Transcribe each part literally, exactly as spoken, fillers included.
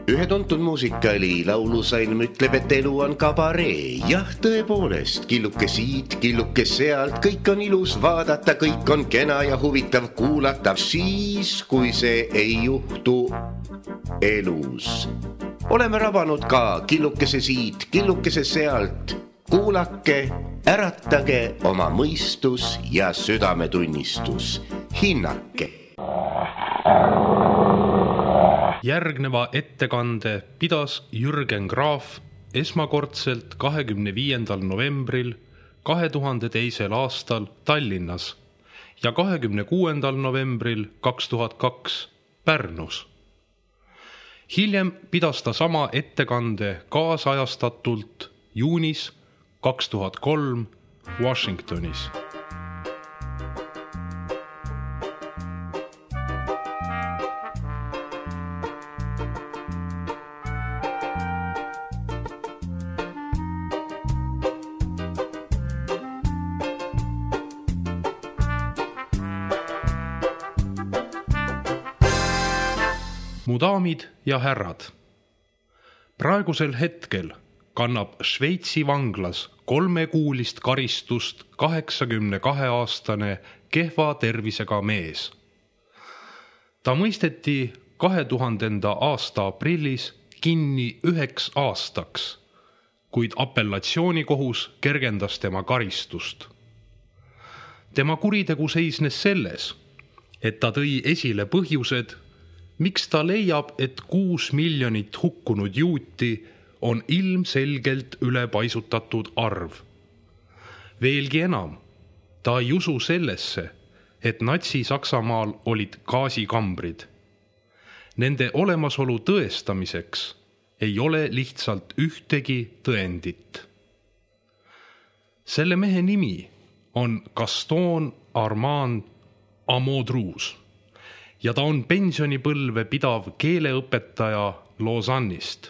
Ühe tuntud muusikaali laulusalm ütleb, et elu on kabaree. Jah, tõepoolest, killuke siit, killuke sealt, kõik on ilus vaadata, kõik on kena ja huvitav kuulata. Siis, kui see ei juhtu elus. Oleme rabanud ka killukese siit, killukese sealt. Kuulake, äratage oma mõistus ja südametunnistus. Hinnake. Järgneva ettekande pidas Jürgen Graaf esmakordselt kahekümne viiendal novembril kahe tuhande teisel aastal Tallinnas ja kahekümne kuuendal novembril kaks tuhat kaks Pärnus. Hiljem pidas ta sama ettekande kaasajastatult juunis kaks tuhat kolm Washingtonis. Mu daamid ja härrad, praegusel hetkel kannab Šveitsi vanglas kolmekuulist karistust kaheksakümne kahe aastane kehva tervisega mees. Ta mõisteti kahe tuhandenda aasta aprillis kinni üheks aastaks, kuid apellatsioonikohus kergendas tema karistust. Tema kuritegu seisnes selles, et ta tõi esile põhjused, miks ta leiab, et kuus miljonit hukkunud juuti on ilmselgelt ülepaisutatud arv. Veelgi enam, ta ei usu sellesse, et Natsi-Saksamaal olid gaasikambrid. Nende olemasolu tõestamiseks ei ole lihtsalt ühtegi tõendit. Selle mehe nimi on Gaston Armand Amodrouz. Ja ta on pensionipõlve pidav keeleõpetaja Lausannist.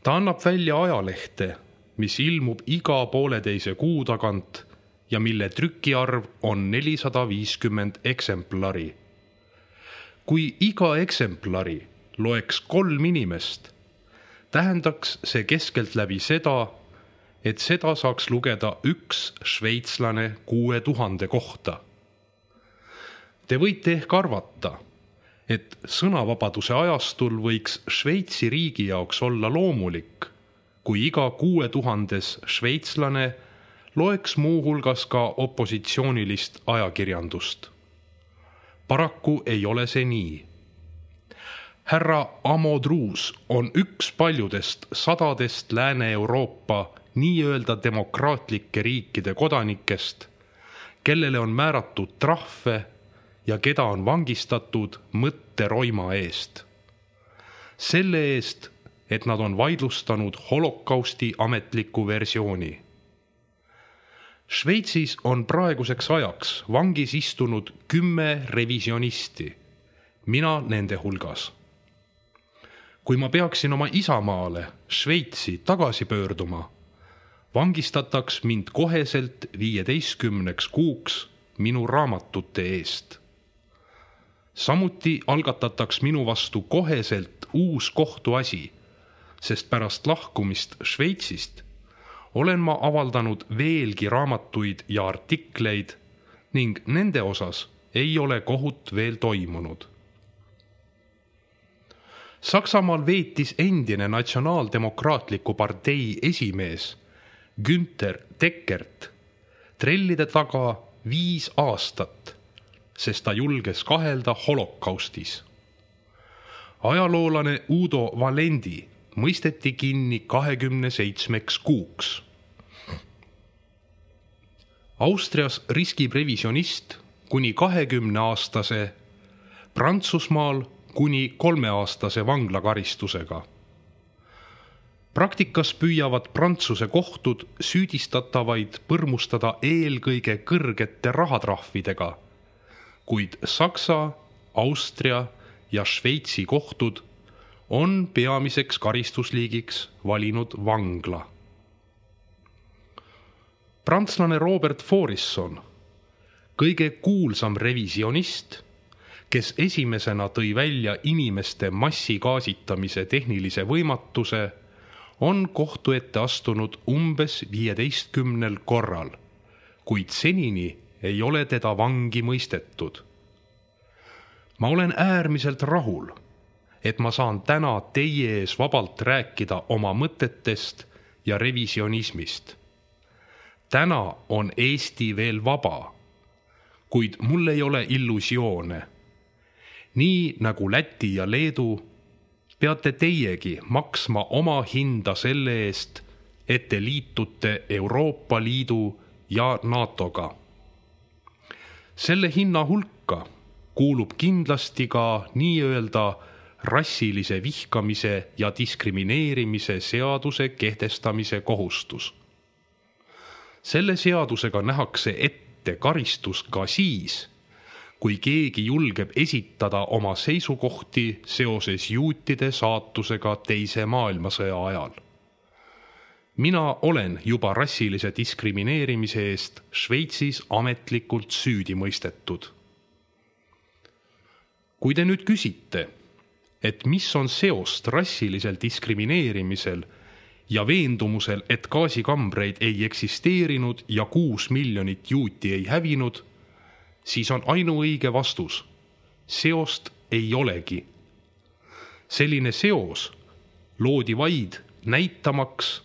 Ta annab välja ajalehte, mis ilmub iga pooleteise kuu tagant ja mille trükiarv on nelisada viiskümmend eksemplari. Kui iga eksemplari loeks kolm inimest, tähendaks see keskelt läbi seda, et seda saaks lugeda üks šveitslane kuue tuhande kohta. Te võite ehk arvata, et sõnavabaduse ajastul võiks Šveitsi riigi jaoks olla loomulik, kui iga kuue tuhandes šveitslane loeks muu hulgas ka opositsioonilist ajakirjandust. Paraku ei ole see nii. Härra Amodrouz on üks paljudest sadadest Lääne-Euroopa nii-öelda demokraatlike riikide kodanikest, kellele on määratud trahve ja keda on vangistatud mõtteroima eest. Selle eest, et nad on vaidlustanud holokausti ametliku versiooni. Šveitsis on praeguseks ajaks vangis istunud kümme revisionisti, mina nende hulgas. Kui ma peaksin oma isamaale Šveitsi tagasi pöörduma, vangistataks mind koheselt viieteistkümneks kuuks minu raamatute eest. Samuti algatataks minu vastu koheselt uus kohtuasi, sest pärast lahkumist Šveitsist olen ma avaldanud veelgi raamatuid ja artikleid ning nende osas ei ole kohut veel toimunud. Saksamaal veetis endine natsionaaldemokraatliku partei esimees Günther Deckert trellide taga viis aastat, sest ta julges kahelda holokaustis. Ajaloolane Udo Valendi mõisteti kinni kahekümne seitsmeks kuuks. Austrias riskib revisionist kuni kahekümne aastase, Prantsusmaal kuni kolmeaastase vanglakaristusega. Praktikas püüavad Prantsuse kohtud süüdistatavaid põrmustada eelkõige kõrgete rahatrahvidega, kuid Saksa, Austria ja Šveitsi kohtud on peamiseks karistusliigiks valinud vangla. Prantslane Robert Faurisson, kõige kuulsam revisionist, kes esimesena tõi välja inimeste massigaasitamise tehnilise võimatuse, on kohtu ette astunud umbes viieteistkümnel korral, kuid senini ei ole teda vangi mõistetud. Ma olen äärmiselt rahul, et ma saan täna teie ees vabalt rääkida oma mõtetest ja revisionismist. Täna on Eesti veel vaba, kuid mul ei ole illusioone. Nii nagu Läti ja Leedu, peate teiegi maksma oma hinda selle eest, et te liitute Euroopa Liidu ja NATOga. Selle hinna hulka kuulub kindlasti ka nii-öelda rassilise vihkamise ja diskrimineerimise seaduse kehtestamise kohustus. Selle seadusega nähakse ette karistus ka siis, kui keegi julgeb esitada oma seisukohti seoses juutide saatusega teise maailmasõja ajal. Mina olen juba rassilise diskrimineerimise eest Šveitsis ametlikult süüdi mõistetud. Kui te nüüd küsite, et mis on seost rassilisel diskrimineerimisel ja veendumusel, et gaasikambreid ei eksisteerinud ja kuus miljonit juuti ei hävinud, siis on ainuõige vastus. Seost ei olegi. Selline seos loodi vaid näitamaks,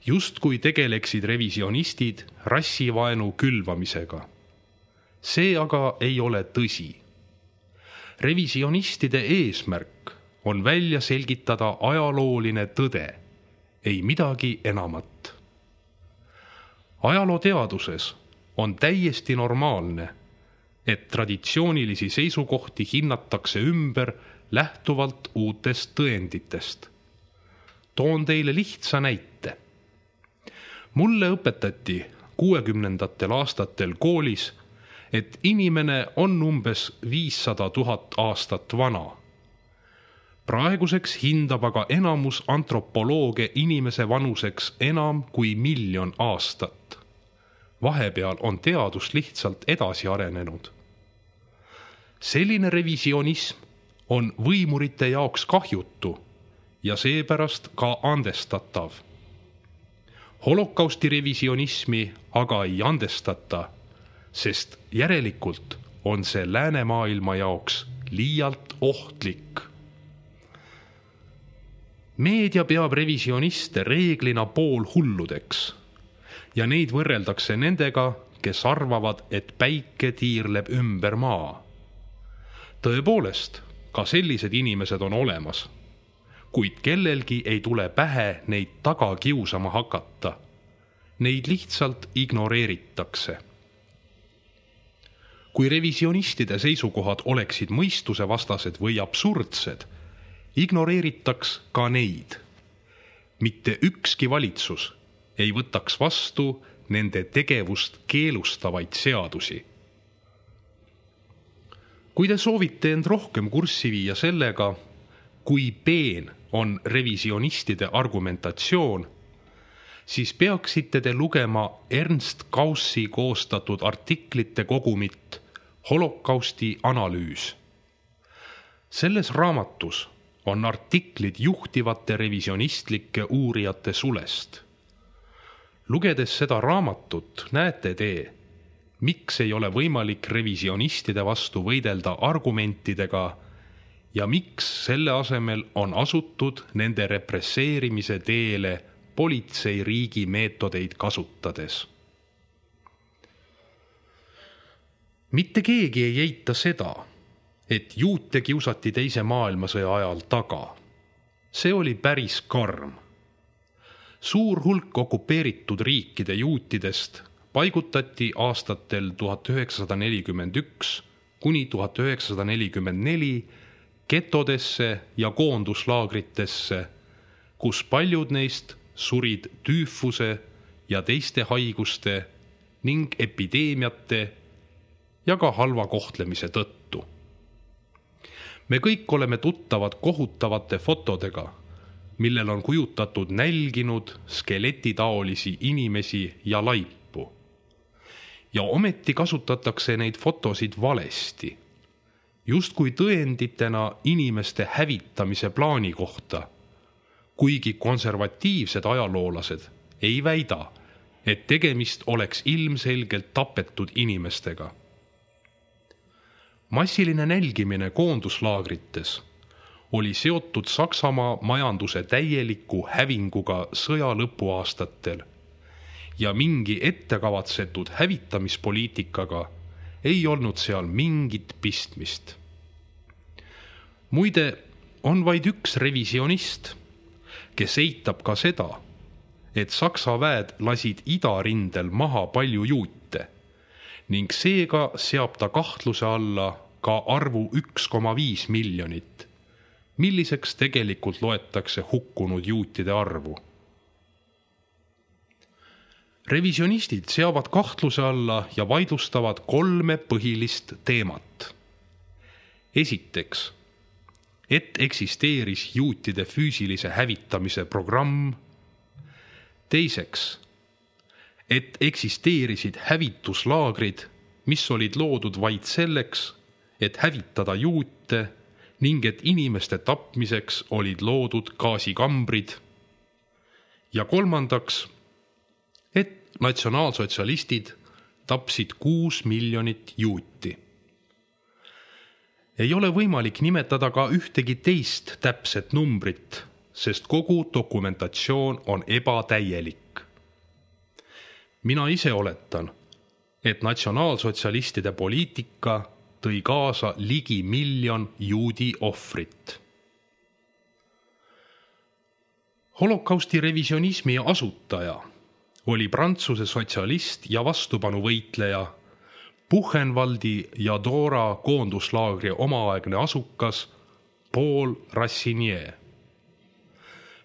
justkui tegeleksid revisionistid rassivaenu külvamisega. See aga ei ole tõsi. Revisionistide eesmärk on välja selgitada ajalooline tõde, ei midagi enamat. Ajalooteaduses on täiesti normaalne, et traditsioonilisi seisukohti hinnatakse ümber lähtuvalt uutest tõenditest. Toon teile lihtsa näite. Mulle õpetati kuuekümnendatel aastatel koolis, et inimene on umbes viissada tuhat aastat vana. Praeguseks hindab aga enamus antropolooge inimese vanuseks enam kui miljon aastat. Vahepeal on teadus lihtsalt edasi arenenud. Selline revisionism on võimurite jaoks kahjutu ja seepärast ka andestatav. Holokausti revisionismi aga ei andestata, sest järelikult on see läänemaailma jaoks liialt ohtlik. Meedia peab revisioniste reeglina poolhulludeks ja neid võrreldakse nendega, kes arvavad, et päike tiirleb ümber maa. Tõepoolest, ka sellised inimesed on olemas, kuid kellelgi ei tule pähe neid taga kiusama hakata. Neid lihtsalt ignoreeritakse. Kui revisionistide seisukohad oleksid mõistusevastased või absurdsed, ignoreeritaks ka neid. Mitte ükski valitsus ei võtaks vastu nende tegevust keelustavaid seadusi. Kui te soovite end rohkem kurssi viia sellega, kui peen on revisionistide argumentatsioon, siis peaksite te lugema Ernst Kaussi koostatud artiklite kogumit Holokausti analüüs. Selles raamatus on artiklid juhtivate revisionistlike uurijate sulest. Lugedes seda raamatut näete te, miks ei ole võimalik revisionistide vastu võidelda argumentidega ja miks selle asemel on asutud nende represseerimise teele politseiriigi meetodeid kasutades. Mitte keegi ei eita seda, et juute kiusati teise maailmasõja ajal taga. See oli päris karm. Suur hulk okupeeritud riikide juutidest paigutati aastatel tuhat üheksasada nelikümmend üks kuni tuhat üheksasada nelikümmend neli getodesse ja koonduslaagritesse, kus paljud neist surid tüüfuse ja teiste haiguste ning epideemiate ja ka halva kohtlemise tõttu. Me kõik oleme tuttavad kohutavate fotodega, millel on kujutatud nälginud skeletitaolisi inimesi ja laipu. Ja ometi kasutatakse neid fotosid valesti. justkui tõenditena inimeste hävitamise plaani kohta, kuigi konservatiivsed ajaloolased ei väida, et tegemist oleks ilmselgelt tapetud inimestega. Massiline nälgimine koonduslaagrites oli seotud Saksamaa majanduse täieliku hävinguga sõja lõpuaastatel ja mingi ettekavatsetud hävitamispoliitikaga ei olnud seal mingit pistmist. Muide, on vaid üks revisionist, kes eitab ka seda, et Saksa väed lasid idarindel maha palju juute ning seega seab ta kahtluse alla ka arvu üks koma viis miljonit, milliseks tegelikult loetakse hukkunud juutide arvu. Revisionistid seavad kahtluse alla ja vaidlustavad kolme põhilist teemat. Esiteks, et eksisteeris juutide füüsilise hävitamise programm. Teiseks, et eksisteerisid hävituslaagrid, mis olid loodud vaid selleks, et hävitada juute ning et inimeste tapmiseks olid loodud gaasikambrid. Ja kolmandaks, et natsionaalsotsialistid tapsid kuus miljonit juuti. Ei ole võimalik nimetada ka ühtegi teist täpset numbrit, sest kogu dokumentatsioon on ebatäielik. Mina ise oletan, et natsionaalsotsialistide poliitika tõi kaasa ligi miljon juudi ohvrit. Holokausti revisionismi asutaja oli Prantsuse sotsialist ja vastupanuvõitleja, Buchenwaldi ja Dora koonduslaagri omaaegne asukas Paul Rassinier.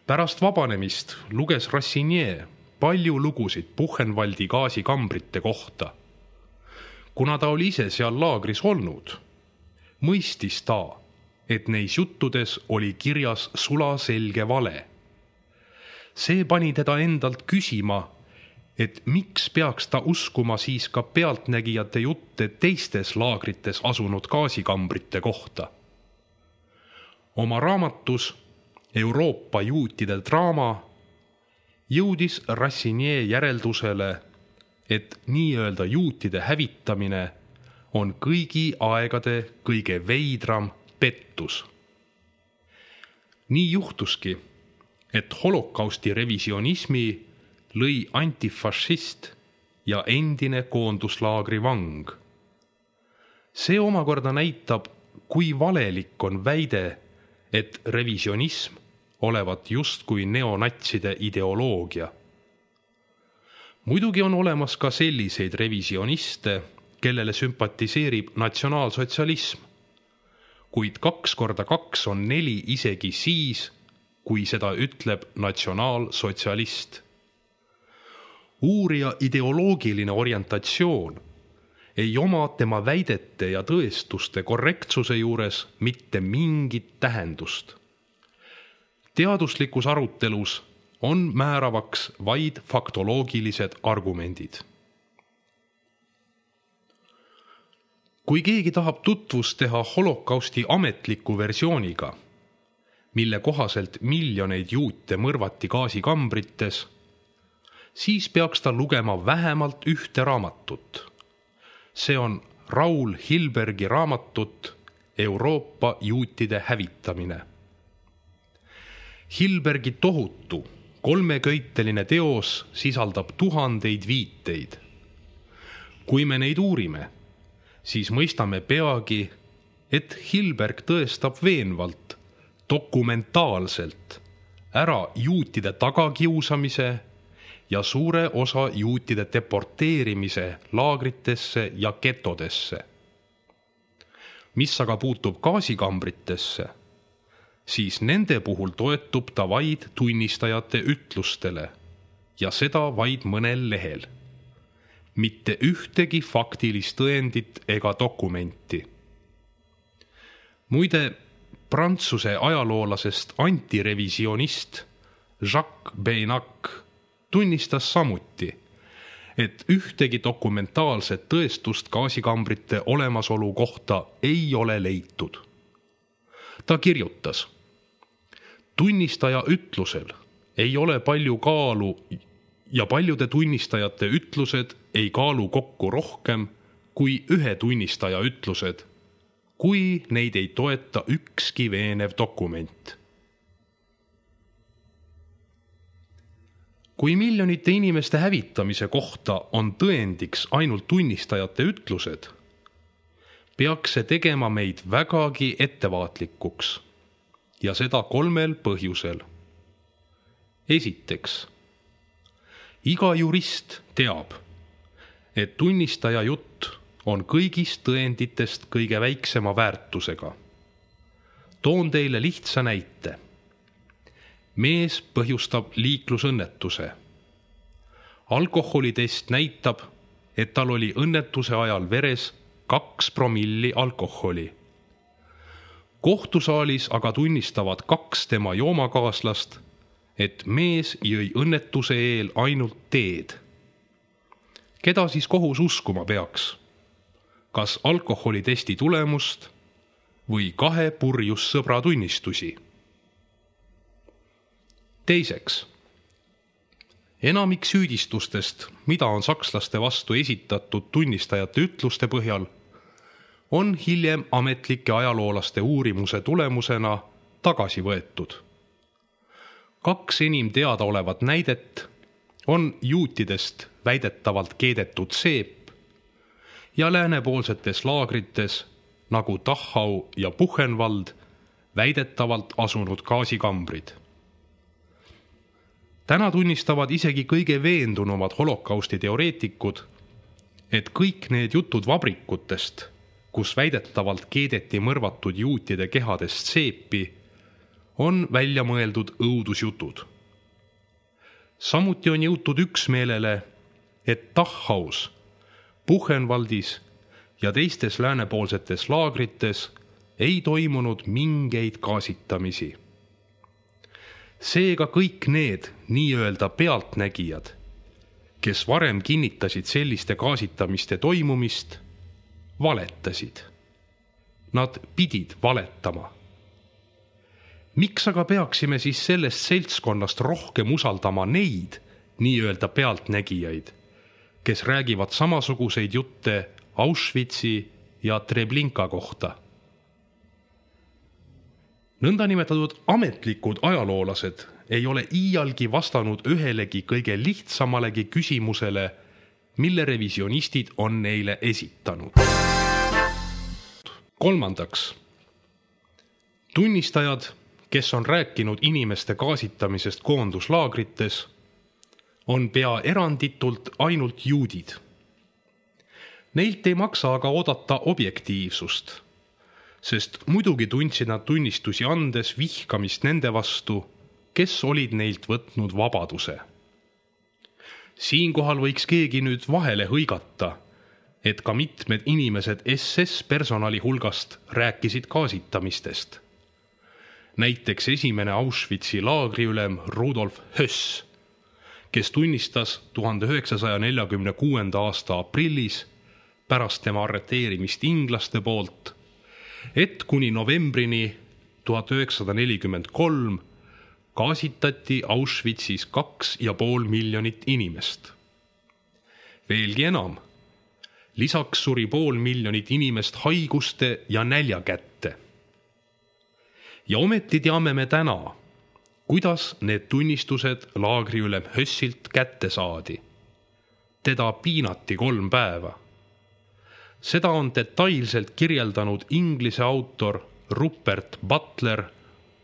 Pärast vabanemist luges Rassinier palju lugusid Buchenwaldi gaasikambrite kohta. Kuna ta oli ise seal laagris olnud, mõistis ta, et neis juttudes oli kirjas sulaselge vale. See pani teda endalt küsima, et miks peaks ta uskuma siis ka pealtnägijate jutte teistes laagrites asunud gaasikambrite kohta. Oma raamatus Euroopa juutide draama jõudis Rassinier järeldusele, et nii-öelda juutide hävitamine on kõigi aegade kõige veidram pettus. Nii juhtuski, et holokausti revisionismi lõi antifašist ja endine koonduslaagri vang. See omakorda näitab, kui valelik on väide, et revisionism olevat justkui neonatside ideoloogia. Muidugi on olemas ka selliseid revisioniste, kellele sümpatiseerib natsionaalsotsialism, kuid kaks korda kaks on neli isegi siis, kui seda ütleb natsionaalsotsialist. Uurija ideoloogiline orientatsioon ei oma tema väidete ja tõestuste korrektsuse juures mitte mingit tähendust. Teaduslikus arutelus on määravaks vaid faktoloogilised argumendid. Kui keegi tahab tutvust teha holokausti ametliku versiooniga, mille kohaselt miljoneid juute mõrvati gaasikambrites, siis peaks ta lugema vähemalt ühte raamatut. See on Raul Hilbergi raamatut Euroopa juutide hävitamine. Hilbergi tohutu kolmeköiteline teos sisaldab tuhandeid viiteid. Kui me neid uurime, siis mõistame peagi, et Hilberg tõestab veenvalt, dokumentaalselt ära juutide tagakiusamise ja suure osa juutide deporteerimise laagritesse ja getodesse. Mis aga puutub gaasikambritesse, siis nende puhul toetub ta vaid tunnistajate ütlustele ja seda vaid mõnel lehel. Mitte ühtegi faktilist tõendit ega dokumenti. Muide, Prantsuse ajaloolasest antirevisionist Jacques Beinac tunnistas samuti, et ühtegi dokumentaalset tõestust gaasikambrite olemasolu kohta ei ole leitud. Ta kirjutas: tunnistaja ütlusel ei ole palju kaalu ja paljude tunnistajate ütlused ei kaalu kokku rohkem kui ühe tunnistaja ütlused, kui neid ei toeta ükski veenev dokument. Kui miljonite inimeste hävitamise kohta on tõendiks ainult tunnistajate ütlused, peaks see tegema meid vägagi ettevaatlikuks ja seda kolmel põhjusel. Esiteks, iga jurist teab, et tunnistaja jutt on kõigist tõenditest kõige väiksema väärtusega. Toon teile lihtsa näite. Mees põhjustab liiklusõnnetuse. Alkoholitest näitab, et tal oli õnnetuse ajal veres kaks promilli alkoholi. Kohtusaalis aga tunnistavad kaks tema joomakaaslast, et mees jõi õnnetuse eel ainult teed. Keda siis kohus uskuma peaks? Kas alkoholitesti tulemust või kahe purjus sõbra tunnistusi? Teiseks, enamik süüdistustest, mida on sakslaste vastu esitatud tunnistajate ütluste põhjal, on hiljem ametlike ajaloolaste uurimuse tulemusena tagasi võetud. Kaks enim teada olevat näidet on juutidest väidetavalt keedetud seep ja läänepoolsetes laagrites nagu Dachau ja Buchenwald väidetavalt asunud gaasikambrid. Täna tunnistavad isegi kõige veendunumad holokausti teoreetikud, et kõik need jutud vabrikutest, kus väidetavalt keedeti mõrvatud juutide kehadest seepi, on välja mõeldud õudusjutud. Samuti on jõutud üksmeelele, et Dachaus, Buchenwaldis ja teistes läänepoolsetes laagrites ei toimunud mingeid gaasitamisi. Seega kõik need nii-öelda pealtnägijad, kes varem kinnitasid selliste gaasitamiste toimumist, valetasid. Nad pidid valetama. Miks aga peaksime siis sellest seltskonnast rohkem usaldama neid nii-öelda pealtnägijaid, kes räägivad samasuguseid jutte Auschwitzi ja Treblinka kohta? Nõndanimetatud ametlikud ajaloolased ei ole iialgi vastanud ühelegi kõige lihtsamalegi küsimusele, mille revisionistid on neile esitanud. Kolmandaks, tunnistajad, kes on rääkinud inimeste gaasitamisest koonduslaagrites, on pea eranditult ainult juudid. Neilt ei maksa aga oodata objektiivsust, sest muidugi tundsid nad tunnistusi andes vihkamist nende vastu, kes olid neilt võtnud vabaduse. Siinkohal võiks keegi nüüd vahele hõigata, et ka mitmed inimesed S S personali hulgast rääkisid gaasitamistest. Näiteks esimene Auschwitzi laagriülem Rudolf Höss, kes tunnistas tuhande üheksasaja neljakümne kuuenda aasta aprillis pärast tema arreteerimist inglaste poolt, et kuni novembrini tuhat üheksasada nelikümmend kolm gaasitati Auschwitzis kaks ja pool miljonit inimest. Veelgi enam, lisaks suri pool miljonit inimest haiguste ja nälja kätte. Ja ometi teame me täna, kuidas need tunnistused laagriülem Hössilt kätte saadi. Teda piinati kolm päeva. Seda on detailselt kirjeldanud inglise autor Rupert Butler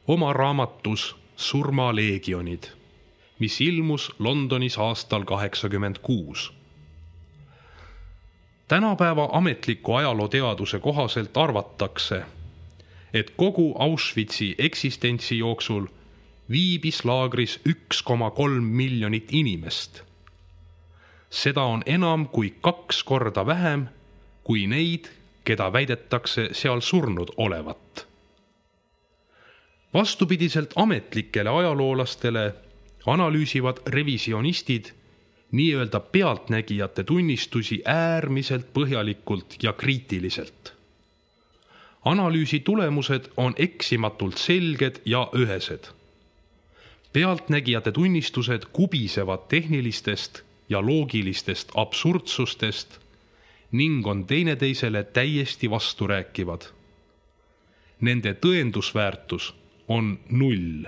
oma raamatus Surmaleegionid, mis ilmus Londonis aastal kaheksakümmend kuus. Tänapäeva ametliku ajalooteaduse kohaselt arvatakse, et kogu Auschwitzi eksistentsi jooksul viibis laagris üks koma kolm miljonit inimest. Seda on enam kui kaks korda vähem kui neid, keda väidetakse seal surnud olevat. Vastupidiselt ametlikele ajaloolastele analüüsivad revisionistid nii-öelda pealtnägijate tunnistusi äärmiselt põhjalikult ja kriitiliselt. Analüüsi tulemused on eksimatult selged ja ühesed. Pealtnägijate tunnistused kubisevad tehnilistest ja loogilistest absurdsustest ning on teineteisele täiesti vasturääkivad. Nende tõendusväärtus on null.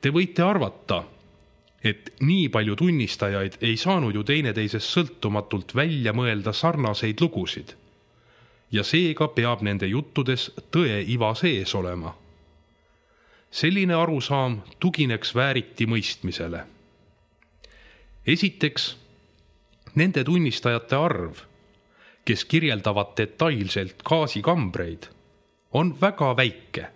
Te võite arvata, et nii palju tunnistajaid ei saanud ju teineteisest sõltumatult välja mõelda sarnaseid lugusid ja seega peab nende juttudes tõe iva sees olema. Selline arusaam tugineks vääriti mõistmisele. Esiteks, nende tunnistajate arv, kes kirjeldavad detailselt gaasikambreid, on väga väike,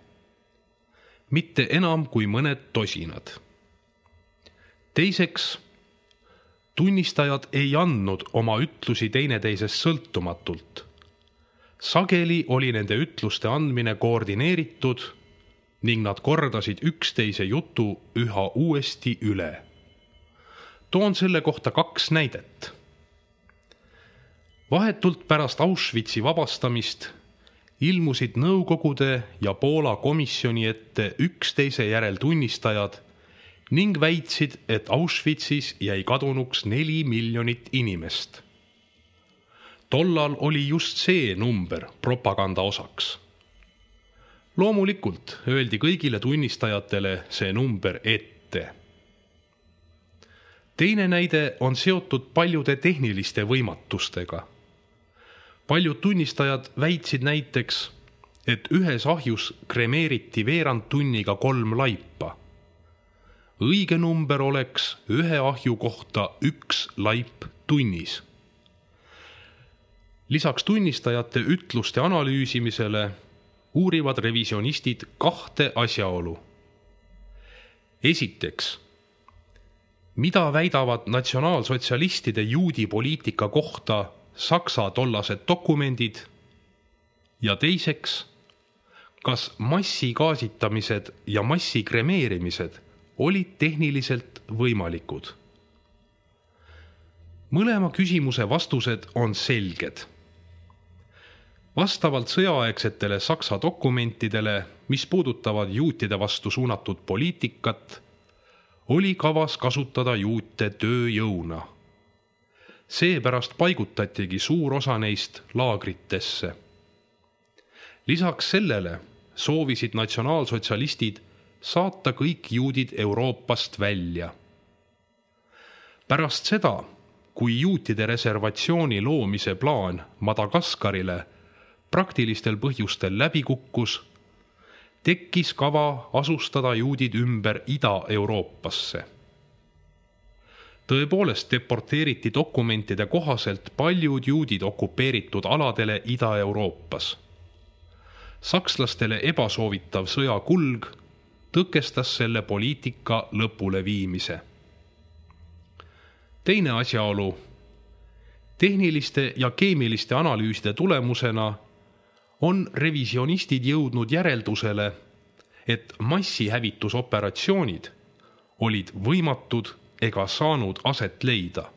mitte enam kui mõned tosinad. Teiseks, tunnistajad ei andnud oma ütlusi teineteisest sõltumatult. Sageli oli nende ütluste andmine koordineeritud ning nad kordasid üksteise jutu üha uuesti üle. Toon selle kohta kaks näidet. Vahetult pärast Auschwitzi vabastamist ilmusid Nõukogude ja Poola komisjoni ette üksteise järel tunnistajad ning väitsid, et Auschwitzis jäi kadunuks neli miljonit inimest. Tollal oli just see number propaganda osaks. Loomulikult öeldi kõigile tunnistajatele see number ette. Teine näide on seotud paljude tehniliste võimatustega. Paljud tunnistajad väitsid näiteks, et ühes ahjus kremeeriti veerand tunniga kolm laipa. Õige number oleks ühe ahju kohta üks laip tunnis. Lisaks tunnistajate ütluste analüüsimisele uurivad revisionistid kahte asjaolu. Esiteks, mida väidavad natsionaalsotsialistide juudi poliitika kohta Saksa tollased dokumendid? Ja teiseks, kas massigaasitamised ja massikremeerimised olid tehniliselt võimalikud? Mõlema küsimuse vastused on selged. Vastavalt sõjaaegsetele Saksa dokumentidele, mis puudutavad juutide vastu suunatud poliitikat, oli kavas kasutada juute tööjõuna. Seepärast paigutatigi suur osa neist laagritesse. Lisaks sellele soovisid natsionaalsotsialistid saata kõik juudid Euroopast välja. Pärast seda, kui juutide reservatsiooni loomise plaan Madagaskarile praktilistel põhjustel läbi kukkus, tekkis kava asustada juudid ümber Ida-Euroopasse. Tõepoolest deporteeriti dokumentide kohaselt paljud juudid okupeeritud aladele Ida-Euroopas. Sakslastele ebasoovitav sõjakulg tõkestas selle poliitika lõpule viimise. Teine asjaolu. Tehniliste ja keemiliste analüüside tulemusena on revisionistid jõudnud järeldusele, et massihävitusoperatsioonid olid võimatud ega saanud aset leida.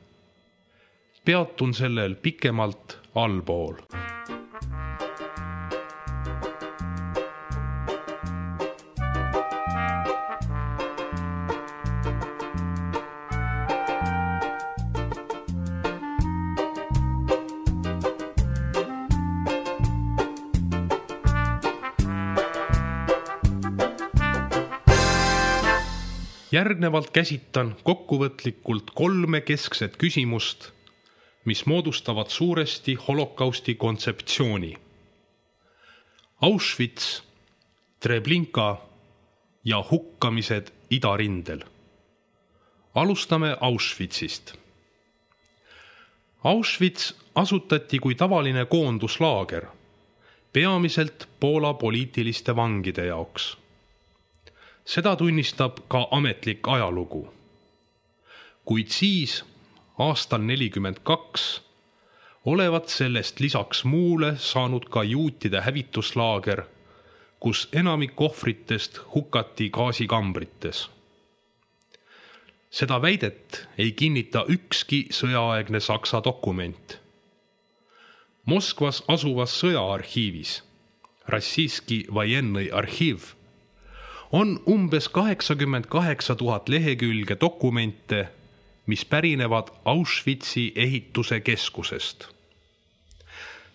Peatun sellel pikemalt allpool. Järgnevalt käsitan kokkuvõtlikult kolme keskset küsimust, mis moodustavad suuresti holokausti kontseptsiooni. Auschwitz, Treblinka ja hukkamised idarindel. Alustame Auschwitzist. Auschwitz asutati kui tavaline koonduslaager, peamiselt Poola poliitiliste vangide jaoks. Seda tunnistab ka ametlik ajalugu. Kuid siis, aastal nelikümmend kaks, olevat sellest lisaks muule saanud ka juutide hävituslaager, kus enamik ohvritest hukati gaasikambrites. Seda väidet ei kinnita ükski sõjaaegne Saksa dokument. Moskvas asuvas sõjaarhiivis, Rossijski vojennõi arhiiv, on umbes kaheksakümmend kaheksa tuhat lehekülge dokumente, mis pärinevad Auschwitzi ehituse keskusest.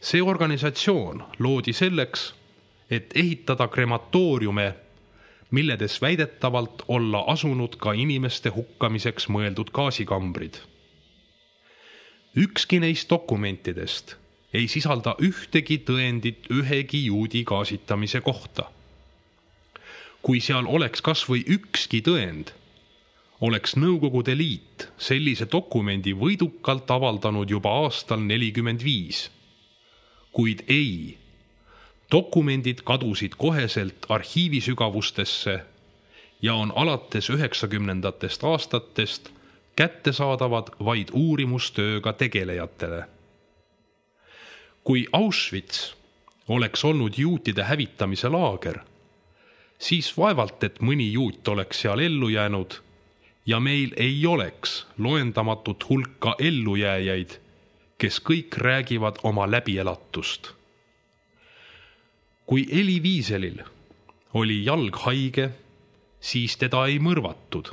See organisatsioon loodi selleks, et ehitada krematooriume, milledes väidetavalt olla asunud ka inimeste hukkamiseks mõeldud gaasikambrid. Ükski neist dokumentidest ei sisalda ühtegi tõendit ühegi juudi gaasitamise kohta. Kui seal oleks kas või ükski tõend, oleks Nõukogude Liit sellise dokumendi võidukalt avaldanud juba aastal nelikümmend viis. Kuid ei, dokumendid kadusid koheselt arhiivisügavustesse ja on alates üheksakümnendatest aastatest kättesaadavad vaid uurimustööga tegelejatele. Kui Auschwitz oleks olnud juutide hävitamise laager, siis vaevalt, et mõni juut oleks seal ellu jäänud ja meil ei oleks loendamatut hulka ellujääjaid, kes kõik räägivad oma läbielatust. Kui Elie Wieselil oli jalg haige, siis teda ei mõrvatud,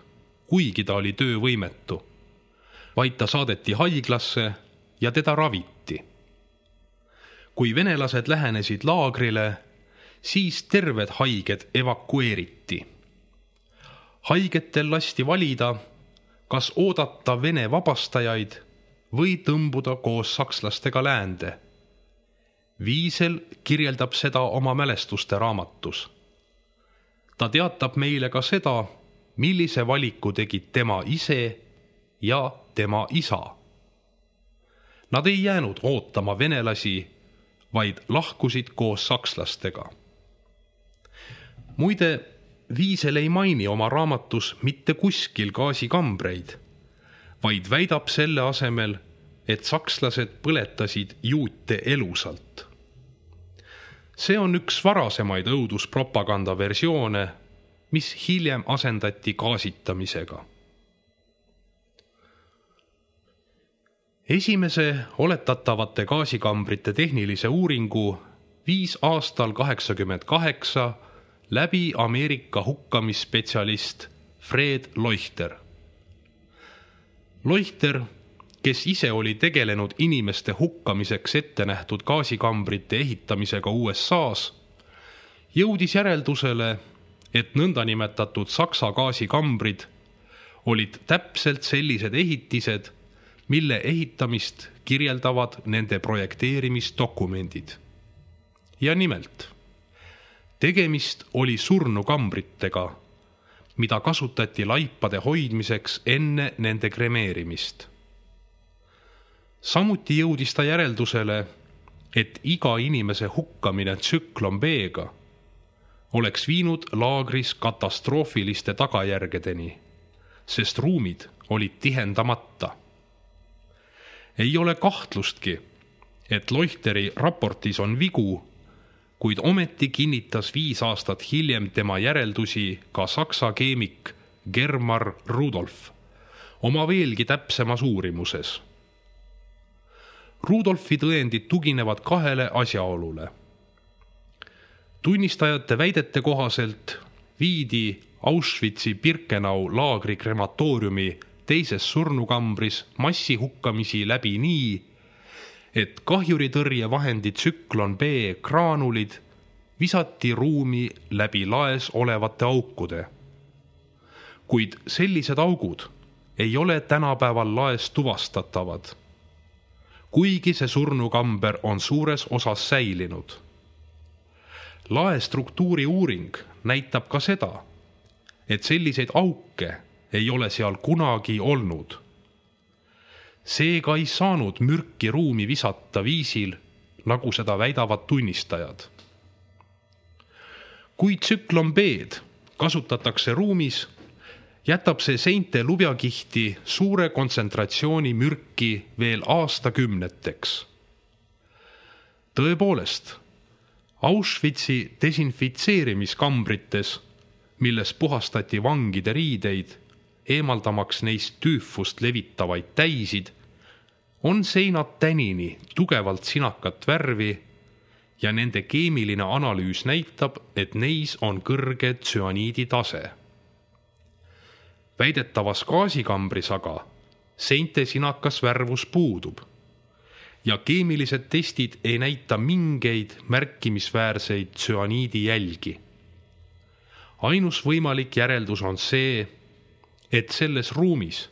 kuigi ta oli töövõimetu, vaid ta saadeti haiglasse ja teda raviti. Kui venelased lähenesid laagrile, siis terved haiged evakueeriti. Haigetel lasti valida, kas oodata Vene vabastajaid või tõmbuda koos sakslastega läände. Wiesel kirjeldab seda oma mälestuste raamatus. Ta teatab meile ka seda, millise valiku tegid tema ise ja tema isa. Nad ei jäänud ootama venelasi, vaid lahkusid koos sakslastega. Muide, Wiesel ei maini oma raamatus mitte kuskil gaasikambreid, vaid väidab selle asemel, et sakslased põletasid juute elusalt. See on üks varasemaid õuduspropaganda versioone, mis hiljem asendati gaasitamisega. Esimese oletatavate gaasikambrite tehnilise uuringu viis aastal kaheksakümmend kaheksa läbi Ameerika hukkamisspetsialist Fred Leuchter. Leuchter, kes ise oli tegelenud inimeste hukkamiseks ette nähtud gaasikambrite ehitamisega U S A-s, jõudis järeldusele, et nõndanimetatud Saksa gaasikambrid olid täpselt sellised ehitised, mille ehitamist kirjeldavad nende projekteerimisdokumendid. Ja nimelt, tegemist oli surnukambritega, mida kasutati laipade hoidmiseks enne nende kremeerimist. Samuti jõudis ta järeldusele, et iga inimese hukkamine tsüklon B-ga oleks viinud laagris katastroofiliste tagajärgedeni, sest ruumid olid tihendamata. Ei ole kahtlustki, et Leuteri raportis on vigu, kuid ometi kinnitas viis aastat hiljem tema järeldusi ka saksa keemik Germar Rudolf oma veelgi täpsemas uurimuses. Rudolfi tõendid tuginevad kahele asjaolule. Tunnistajate väidete kohaselt viidi Auschwitzi Birkenau laagri krematooriumi teises surnukambris massihukkamisi läbi nii, et kahjuritõrjevahendi tsüklon B kraanulid visati ruumi läbi laes olevate aukude. Kuid sellised augud ei ole tänapäeval laes tuvastatavad, kuigi see surnukamber on suures osas säilinud. Lae struktuuri uuring näitab ka seda, et selliseid auke ei ole seal kunagi olnud. Seega ei saanud mürki ruumi visata viisil, nagu seda väidavad tunnistajad. Kui tsüklon B-d kasutatakse ruumis, jätab see seinte lubjakihti suure kontsentratsiooni mürki veel aastakümneteks. Tõepoolest, Auschwitzi desinfitseerimiskambrites, milles puhastati vangide riideid, eemaldamaks neist tüüfust levitavaid täisid, on seinad tänini tugevalt sinakat värvi ja nende keemiline analüüs näitab, et neis on kõrge tsüaniidi tase. Väidetavas gaasikambris aga seinte sinakas värvus puudub ja keemilised testid ei näita mingeid märkimisväärseid tsüaniidi jälgi. Ainus võimalik järeldus on see, et selles ruumis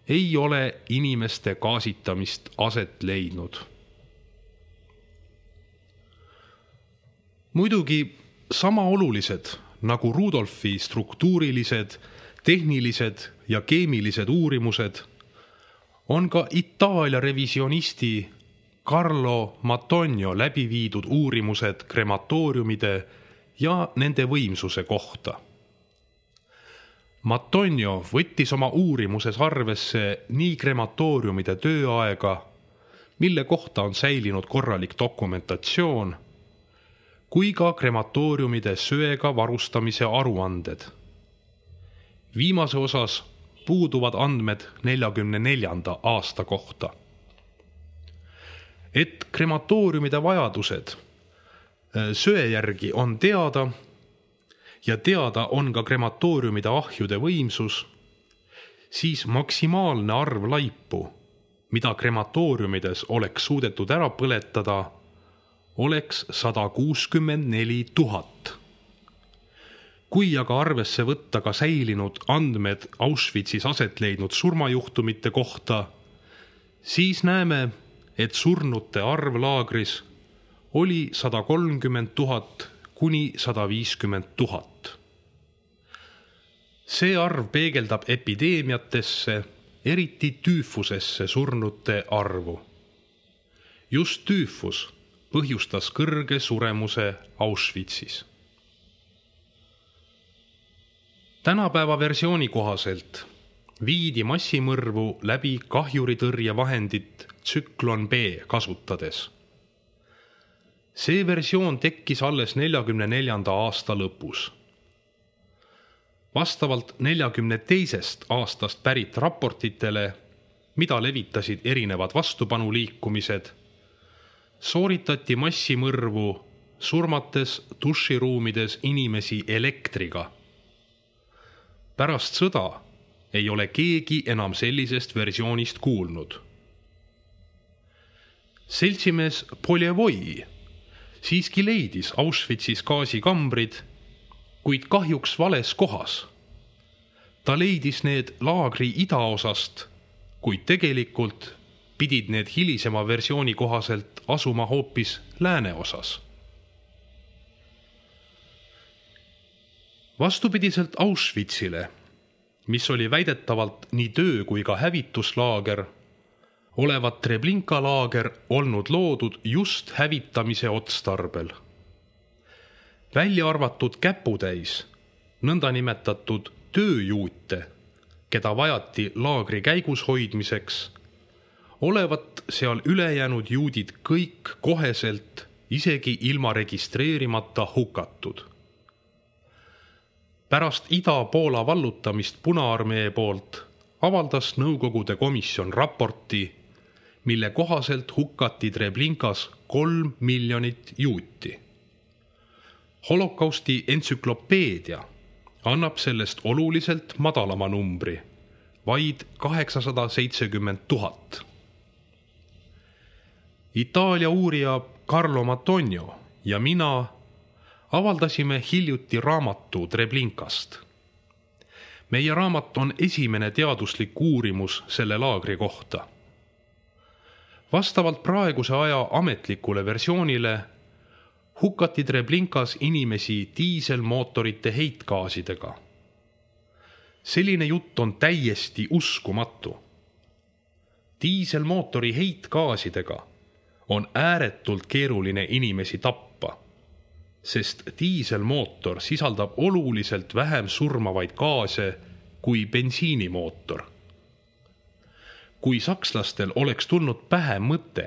ei ole inimeste gaasitamist aset leidnud. Muidugi sama olulised nagu Rudolfi struktuurilised, tehnilised ja keemilised uurimused on ka Itaalia revisionisti Carlo Matonio läbi viidud uurimused krematooriumide ja nende võimsuse kohta. Matonio võttis oma uurimuses arvesse nii krematooriumide tööaega, mille kohta on säilinud korralik dokumentatsioon, kui ka krematooriumide söega varustamise aruanded. Viimase osas puuduvad andmed neljakümne neljanda aasta kohta. Et krematooriumide vajadused söe järgi on teada ja teada on ka krematooriumide ahjude võimsus, siis maksimaalne arv laipu, mida krematooriumides oleks suudetud ära põletada, oleks sada kuuskümmend neli tuhat. Kui aga arvesse võtta ka säilinud andmed Auschwitzis aset leidnud surmajuhtumite kohta, siis näeme, et surnute arv laagris oli sada kolmkümmend tuhat kuni sada viiskümmend tuhat. See arv peegeldab epideemiatesse, eriti tüüfusesse surnute arvu. Just tüüfus põhjustas kõrge suremuse Auschwitzis. Tänapäeva versiooni kohaselt viidi massimõrvu läbi kahjuritõrjevahendit tsüklon B kasutades. See versioon tekkis alles neljakümne neljanda aasta lõpus. Vastavalt neljakümne teisest aastast pärit raportitele, mida levitasid erinevad vastupanuliikumised, sooritati massimõrvu surmates duširuumides inimesi elektriga. Pärast sõda ei ole keegi enam sellisest versioonist kuulnud. Seltsimees Poljevoi siiski leidis Auschwitzis gaasikambrid, kuid kahjuks vales kohas. Ta leidis need laagri idaosast, kuid tegelikult pidid need hilisema versiooni kohaselt asuma hoopis lääneosas. Vastupidiselt Auschwitzile, mis oli väidetavalt nii töö kui ka hävituslaager, olevat Treblinka laager olnud loodud just hävitamise otstarbel. Välja arvatud käputäis, nõndanimetatud tööjuute, keda vajati laagri käigus hoidmiseks, olevat seal ülejäänud juudid kõik koheselt, isegi ilma registreerimata hukatud. Pärast Ida-Poola vallutamist Punaarmee poolt avaldas Nõukogude komisjon raporti, mille kohaselt hukati Treblinkas kolm miljonit juuti. Holokausti entsüklopeedia annab sellest oluliselt madalama numbri, vaid kaheksasada seitsekümmend tuhat. Itaalia uurija Carlo Matonio ja mina avaldasime hiljuti raamatu Treblinkast. Meie raamat on esimene teaduslik uurimus selle laagri kohta. Vastavalt praeguse aja ametlikule versioonile hukati Treblinkas inimesi diiselmootorite heitgaasidega. Selline jutt on täiesti uskumatu. Diiselmootori heitgaasidega on ääretult keeruline inimesi tappa, sest diiselmootor sisaldab oluliselt vähem surmavaid gaase kui bensiinimootor. Kui sakslastel oleks tulnud pähe mõte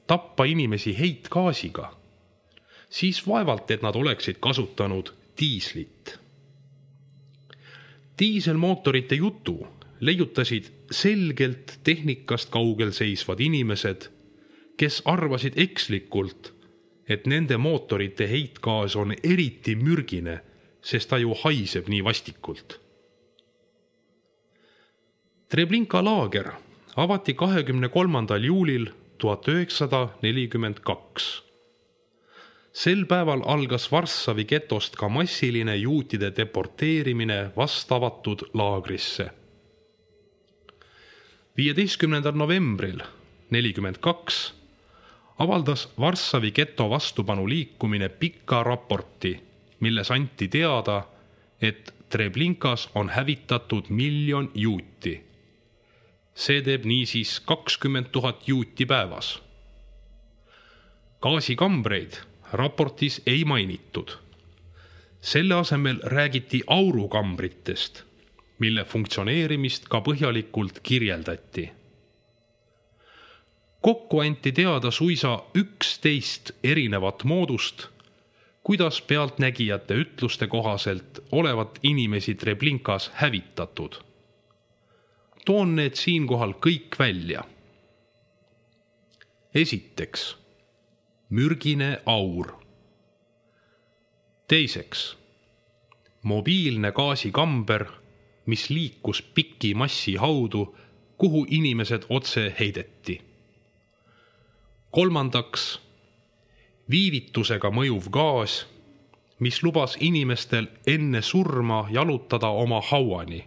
tappa inimesi heitgaasiga, siis vaevalt, et nad oleksid kasutanud diislit. Diiselmootorite jutu leiutasid selgelt tehnikast kaugel seisvad inimesed, kes arvasid ekslikult, et nende mootorite heitgaas on eriti mürgine, sest ta ju haiseb nii vastikult. Treblinka laager avati kahekümne kolmandal juulil tuhat üheksasada nelikümmend kaks. Sel päeval algas Varssavi getost ka massiline juutide deporteerimine vastavatud laagrisse. viieteistkümnendal novembril nelikümmend kaks avaldas Varssavi geto vastupanu liikumine pika raporti, milles anti teada, et Treblinkas on hävitatud miljon juuti. See teeb niisiis kakskümmend tuhat juuti päevas. Gaasikambreid raportis ei mainitud. Selle asemel räägiti aurukambritest, mille funktsioneerimist ka põhjalikult kirjeldati. Kokku anti teada suisa üksteist erinevat moodust, kuidas pealtnägijate ütluste kohaselt olevat inimesi Treblinkas hävitatud. Toon need siinkohal kõik välja. Esiteks, mürgine aur. Teiseks, mobiilne gaasikamber, mis liikus pikki massi haudu, kuhu inimesed otse heideti. Kolmandaks, viivitusega mõjuv gaas, mis lubas inimestel enne surma jalutada oma hauani.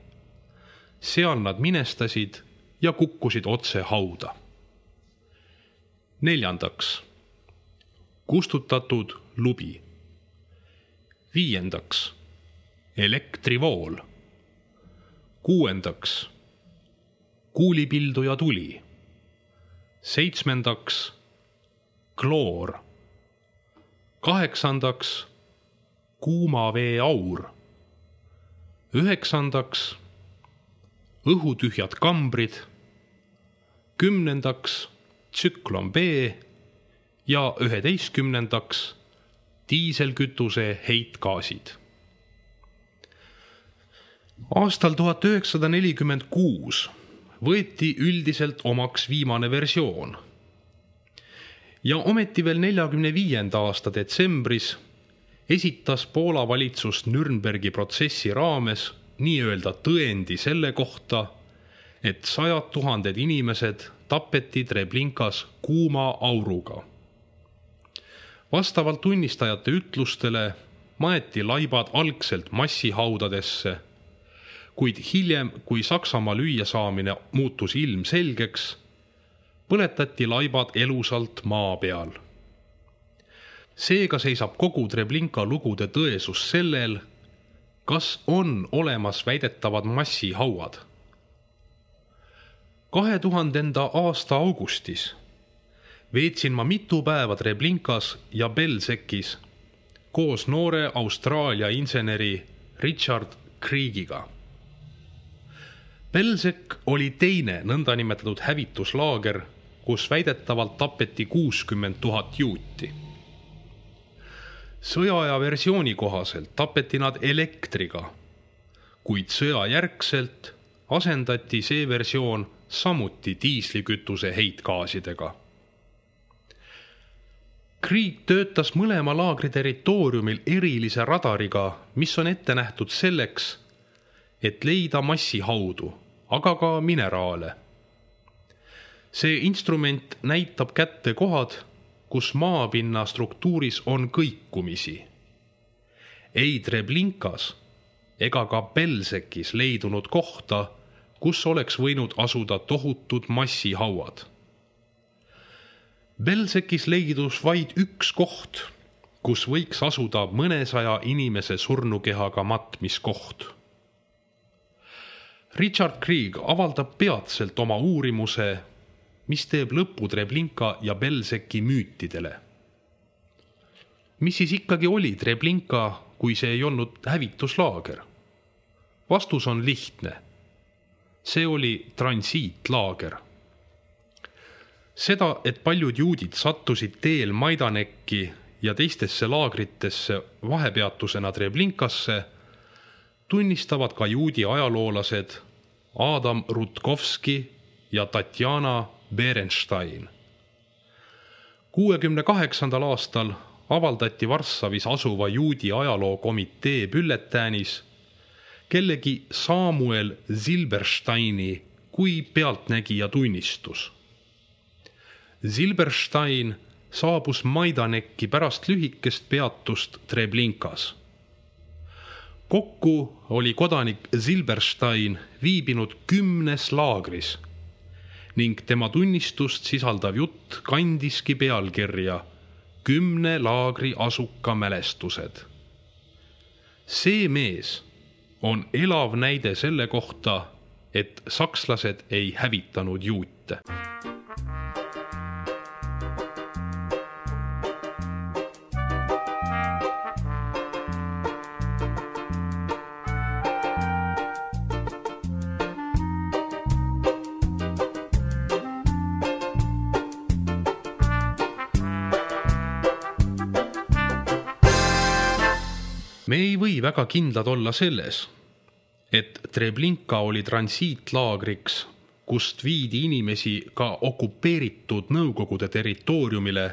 Seal nad minestasid ja kukkusid otse hauda. Neljandaks, kustutatud lubi. Viiendaks, elektrivool. Kuuendaks, kuulipildu ja tuli. Seitsmendaks, kloor. Kaheksandaks, kuuma vee aur. Üheksandaks, õhutühjad kambrid. Kümnendaks, tsüklon B ja üheteistkümnendaks, diiselkütuse heitgaasid. Aastal tuhat üheksasada nelikümmend kuus võeti üldiselt omaks viimane versioon. Ja ometi veel neljakümne viienda aasta detsembris esitas Poola valitsus Nürnbergi protsessi raames nii-öelda tõendi selle kohta, et sajad tuhanded inimesed tapeti Treblinkas kuuma auruga. Vastavalt tunnistajate ütlustele maeti laibad algselt massihaudadesse, kuid hiljem, kui Saksamaa lüüa saamine muutus ilmselgeks, põletati laibad elusalt maa peal. Seega seisab kogu Treblinka lugude tõesus sellel, kas on olemas väidetavad massihauad. kahe tuhandenda aasta augustis veetsin ma mitu päeva Treblinkas ja Belzecis koos noore Austraalia inseneri Richard Kriegiga. Belzec oli teine nõndanimetatud hävituslaager, kus väidetavalt tapeti kuuskümmend tuhat juuti. Sõjaaja versiooni kohaselt tapeti nad elektriga, kuid sõjajärgselt asendati see versioon samuti diislikütuse heitgaasidega. Krieg töötas mõlema laagri territooriumil erilise radariga, mis on ette nähtud selleks, et leida massihaudu, aga ka mineraale. See instrument näitab kätte kohad, kus maapinna struktuuris on kõikumisi. Ei Treblinkas ega ka Belzecis leidunud kohta, kus oleks võinud asuda tohutud massihauad. Belzecis leidus vaid üks koht, kus võiks asuda mõnesaja inimese surnukehaga matmiskoht. Richard Krieg avaldab peatselt oma uurimuse, mis teeb lõpu Treblinka ja Belzeci müütidele. Mis siis ikkagi oli Treblinka, kui see ei olnud hävituslaager? Vastus on lihtne. See oli transiitlaager. Seda, et paljud juudid sattusid teel Maidanekki ja teistesse laagritesse vahepeatusena Treblinkasse, tunnistavad ka juudi ajaloolased Adam Rutkovski ja Tatjana Berenstein. kuuekümne kaheksandal aastal avaldati Varssavis asuva juudi ajalookomitee bülletäänis kellegi Samuel Silbersteini kui pealtnägija tunnistus. Silberstein saabus Maidanekki pärast lühikest peatust Treblinkas. Kokku oli kodanik Silberstein viibinud kümnes laagris ning tema tunnistust sisaldav jutt kandiski pealkirja Kümne laagri asuka mälestused. See mees on elav näide selle kohta, et sakslased ei hävitanud juute. Me ei või väga kindlad olla selles, et Treblinka oli transiitlaagriks, kust viidi inimesi ka okupeeritud Nõukogude territooriumile,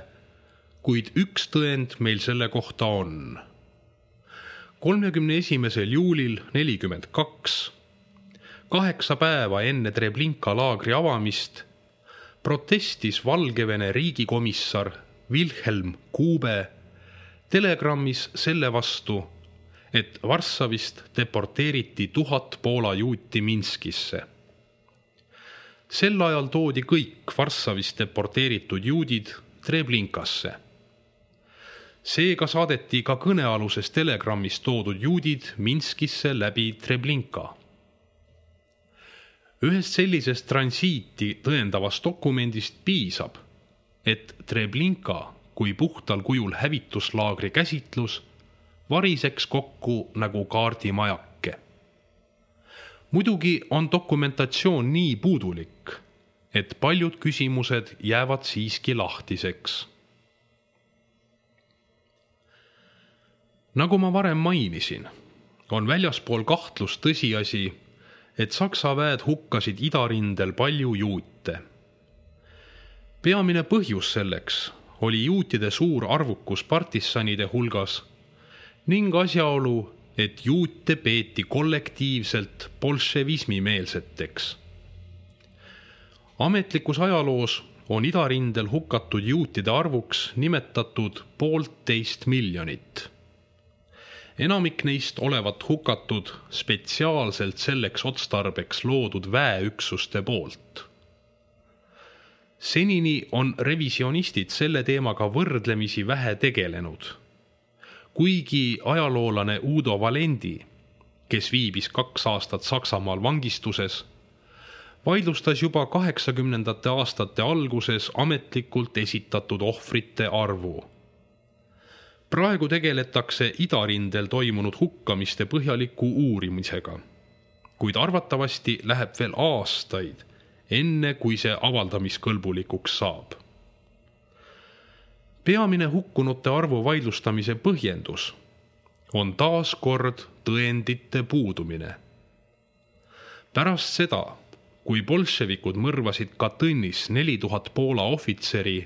kuid üks tõend meil selle kohta on. kolmekümne esimesel juulil nelikümmend kaks, kaheksa päeva enne Treblinka laagri avamist, protestis Valgevene riigikomissar Wilhelm Kube telegrammis selle vastu, et Varssavist deporteeriti tuhat Poola juuti Minskisse. Sel ajal toodi kõik Varssavist deporteeritud juudid Treblinkasse. Seega saadeti ka kõnealuses telegrammis toodud juudid Minskisse läbi Treblinka. Ühest sellisest transiiti tõendavast dokumendist piisab, et Treblinka kui puhtal kujul hävituslaagri käsitlus variseks kokku nagu kaardimajake. Muidugi on dokumentatsioon nii puudulik, et paljud küsimused jäävad siiski lahtiseks. Nagu ma varem mainisin, on väljaspool kahtlust tõsiasi, et Saksa väed hukkasid idarindel palju juute. Peamine põhjus selleks oli juutide suur arvukus partisanide hulgas ning asjaolu, et juute peeti kollektiivselt bolševismi meelseteks. Ametlikus ajaloos on idarindel hukatud juutide arvuks nimetatud poolteist miljonit. Enamik neist olevat hukatud spetsiaalselt selleks otstarbeks loodud väeüksuste poolt. Senini on revisionistid selle teemaga võrdlemisi vähe tegelenud, kuigi ajaloolane Udo Valendi, kes viibis kaks aastat Saksamaal vangistuses, vaidlustas juba kaheksakümnendate aastate alguses ametlikult esitatud ohvrite arvu. Praegu tegeletakse idarindel toimunud hukkamiste põhjaliku uurimisega, kuid arvatavasti läheb veel aastaid, enne kui see avaldamiskõlbulikuks saab. Peamine hukkunute arvu vaidlustamise põhjendus on taas kord tõendite puudumine. Pärast seda, kui bolševikud mõrvasid Katõnis neli tuhat Poola ohvitseri,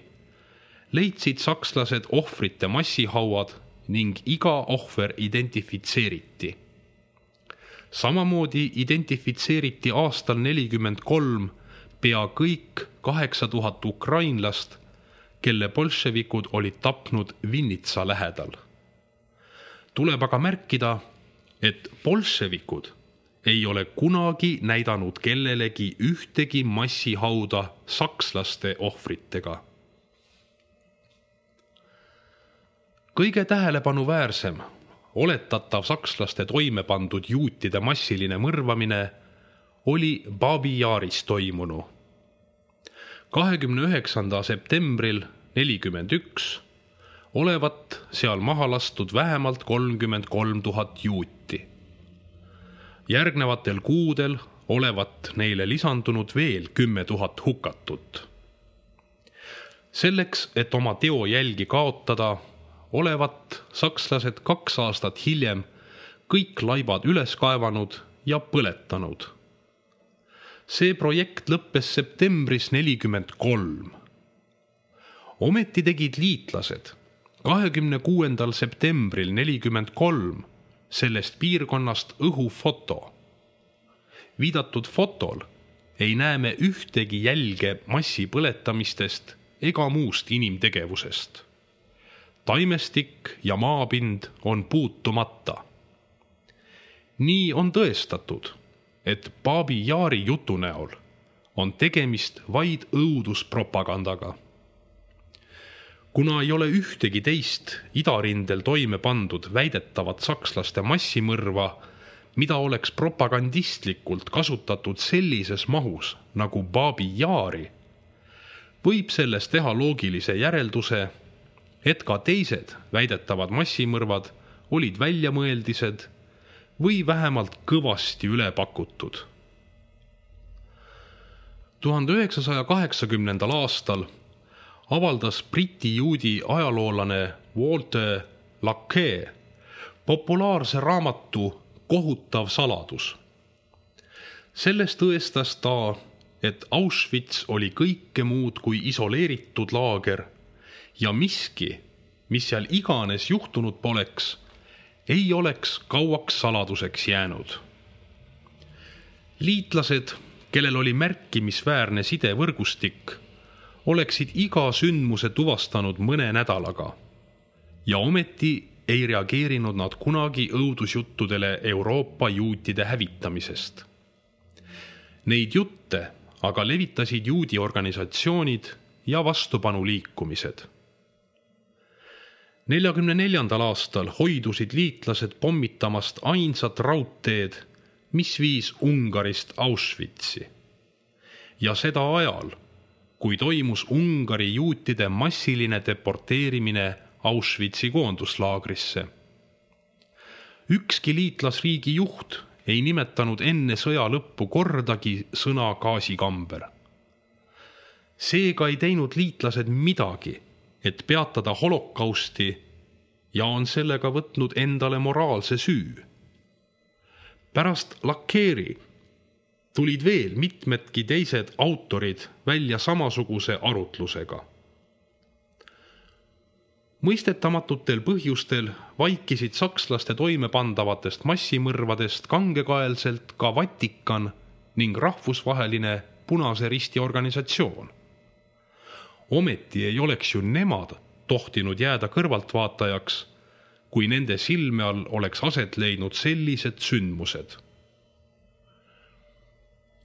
leidsid sakslased ohvrite massihauad ning iga ohver identifitseeriti. Samamoodi identifitseeriti aastal nelikümmend kolm pea kõik kaheksa tuhat ukrainlast, kelle bolševikud olid tapnud Vinnitsa lähedal. Tuleb aga märkida, et bolševikud ei ole kunagi näidanud kellelegi ühtegi massihauda sakslaste ohvritega. Kõige tähelepanuväärsem oletatav sakslaste toime pandud juutide massiline mõrvamine oli Babi Jaaris toimunu. kahekümne üheksandal septembril nelikümmend üks olevat seal maha lastud vähemalt kolmkümmend kolm tuhat juuti. Järgnevatel kuudel olevat neile lisandunud veel kümme tuhat hukatut. Selleks, et oma teo jälgi kaotada, olevat sakslased kaks aastat hiljem kõik laibad üles kaevanud ja põletanud. See projekt lõppes septembris nelikümmend kolm. Ometi tegid liitlased kahekümne kuuendal septembril nelikümmend kolm sellest piirkonnast õhufoto. Viidatud fotol ei näe me ühtegi jälge massi põletamistest ega muust inimtegevusest. Taimestik ja maapind on puutumata. Nii on tõestatud, et Babi Yari jutu näol on tegemist vaid õuduspropagandaga. Kuna ei ole ühtegi teist idarindel toime pandud väidetavat sakslaste massimõrva, mida oleks propagandistlikult kasutatud sellises mahus nagu Babi Yari, võib sellest teha loogilise järelduse, et ka teised väidetavad massimõrvad olid väljamõeldised või vähemalt kõvasti üle pakutud. tuhande üheksasaja kaheksakümnendal aastal avaldas briti juudi ajaloolane Walter Laqueur populaarse raamatu Kohutav saladus. Selles tõestas ta, et Auschwitz oli kõike muud kui isoleeritud laager ja miski, mis seal iganes juhtunud poleks, ei oleks kauaks saladuseks jäänud. Liitlased, kellel oli märkimisväärne sidevõrgustik, oleksid iga sündmuse tuvastanud mõne nädalaga ja ometi ei reageerinud nad kunagi õudusjuttudele Euroopa juutide hävitamisest. Neid jutte aga levitasid juudi organisatsioonid ja vastupanuliikumised. neljakümne neljandal aastal hoidusid liitlased pommitamast ainsat raudteed, mis viis Ungarist Auschwitzi. Ja seda ajal, kui toimus Ungari juutide massiline deporteerimine Auschwitzi koonduslaagrisse. Ükski liitlasriigi juht ei nimetanud enne sõja lõppu kordagi sõna gaasikamber. Seega ei teinud liitlased midagi, et peatada holokausti ja on sellega võtnud endale moraalse süü. Pärast Laqueuri tulid veel mitmedki teised autorid välja samasuguse arutlusega. Mõistetamatutel põhjustel vaikisid sakslaste toimepandavatest massimõrvadest kangekaelselt ka Vatikan ning rahvusvaheline Punase Risti organisatsioon. Ometi ei oleks ju nemad tohtinud jääda kõrvaltvaatajaks, kui nende silme all oleks aset leidnud sellised sündmused.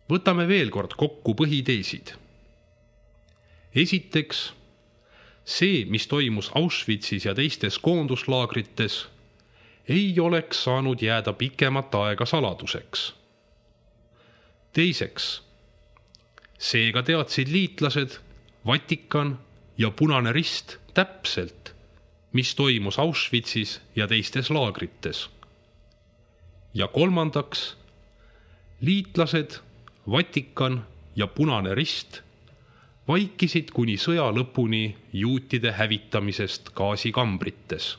Võtame veel kord kokku põhiteesid. Esiteks, see, mis toimus Auschwitzis ja teistes koonduslaagrites, ei oleks saanud jääda pikemat aega saladuseks. Teiseks, seega teadsid liitlased, Vatikan ja Punane Rist täpselt, mis toimus Auschwitzis ja teistes laagrites. Ja kolmandaks, liitlased, Vatikan ja Punane Rist vaikisid kuni sõja lõpuni juutide hävitamisest gaasikambrites.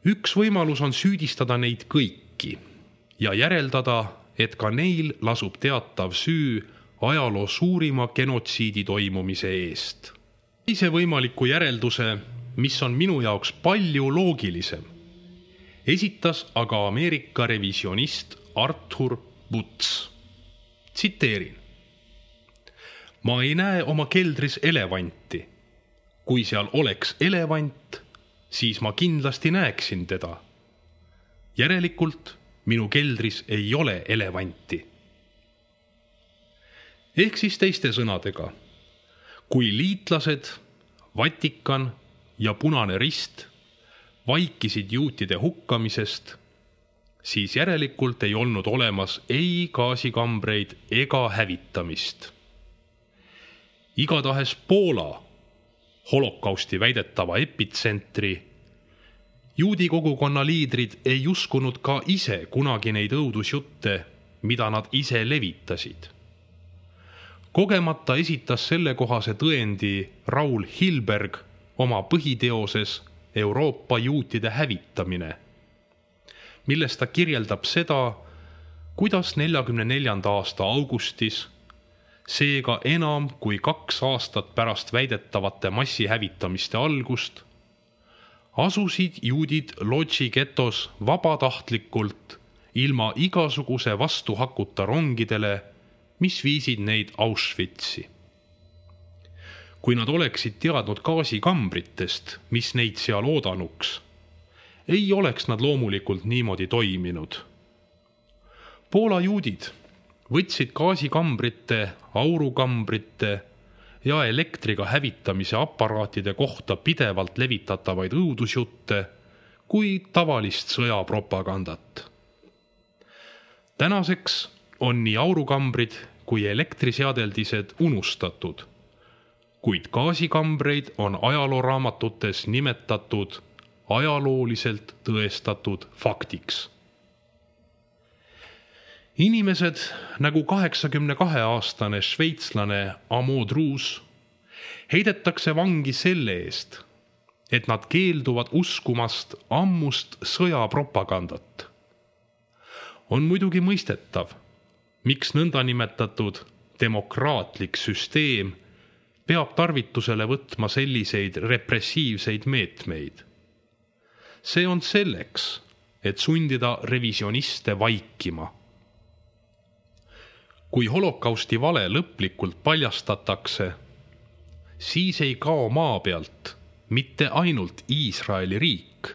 Üks võimalus on süüdistada neid kõiki ja järeldada, et ka neil lasub teatav süü ajaloo suurima genotsiidi toimumise eest. Teise võimaliku järelduse, mis on minu jaoks palju loogilisem, esitas aga Ameerika revisionist Arthur Butz. Tsiteerin. Ma ei näe oma keldris elevanti. Kui seal oleks elevant, siis ma kindlasti näeksin teda. Järelikult minu keldris ei ole elevanti. Ehk siis teiste sõnadega, kui liitlased, Vatikan ja Punane Rist vaikisid juutide hukkamisest, siis järelikult ei olnud olemas ei gaasikambreid ega hävitamist. Igatahes Poola, holokausti väidetava epitsentri, juudi kogukonna liidrid ei uskunud ka ise kunagi neid õudusjutte, mida nad ise levitasid. Kogemata esitas sellekohase tõendi Raul Hilberg oma põhiteoses Euroopa juutide hävitamine, milles ta kirjeldab seda, kuidas neljakümne neljanda aasta augustis, seega enam kui kaks aastat pärast väidetavate massihävitamiste algust, asusid juudid Lodži getos vabatahtlikult ilma igasuguse vastuhakuta rongidele, mis viisid neid Auschwitzi. Kui nad oleksid teadnud gaasikambritest, mis neid seal oodanuks, ei oleks nad loomulikult niimoodi toiminud. Poola juudid võtsid gaasikambrite, aurukambrite ja elektriga hävitamise aparaatide kohta pidevalt levitatavaid õudusjutte kui tavalist sõjapropagandat. Tänaseks on nii aurukambrid kui elektriseadeldised unustatud, kuid gaasikambreid on ajalooraamatutes nimetatud ajalooliselt tõestatud faktiks. Inimesed nagu kaheksakümne kahe aastane šveitslane Amo Druus heidetakse vangi selle eest, et nad keelduvad uskumast ammust sõjapropagandat. On muidugi mõistetav, miks nõnda nimetatud demokraatlik süsteem peab tarvitusele võtma selliseid repressiivseid meetmeid. See on selleks, et sundida revisioniste vaikima. Kui holokausti vale lõplikult paljastatakse, siis ei kao maa pealt mitte ainult Iisraeli riik,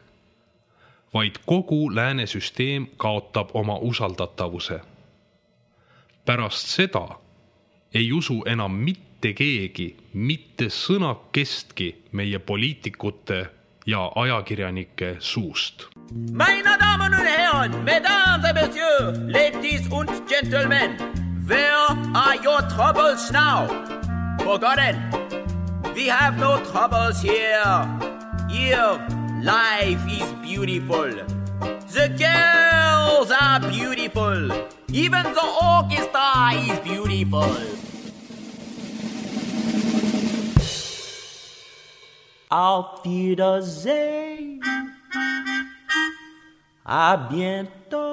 vaid kogu lääne süsteem kaotab oma usaldatavuse. Pärast seda ei usu enam mitte keegi, mitte sõnakestki meie poliitikute ja ajakirjanike suust. Meine Damen und Herren, Mesdames et Messieurs, Ladies und Gentlemen, where are your troubles now? Forgotten, we have no troubles here. Here, life is beautiful. The girls are beautiful. Even the orchestra is beautiful. Auf Wiedersehen. À bientôt.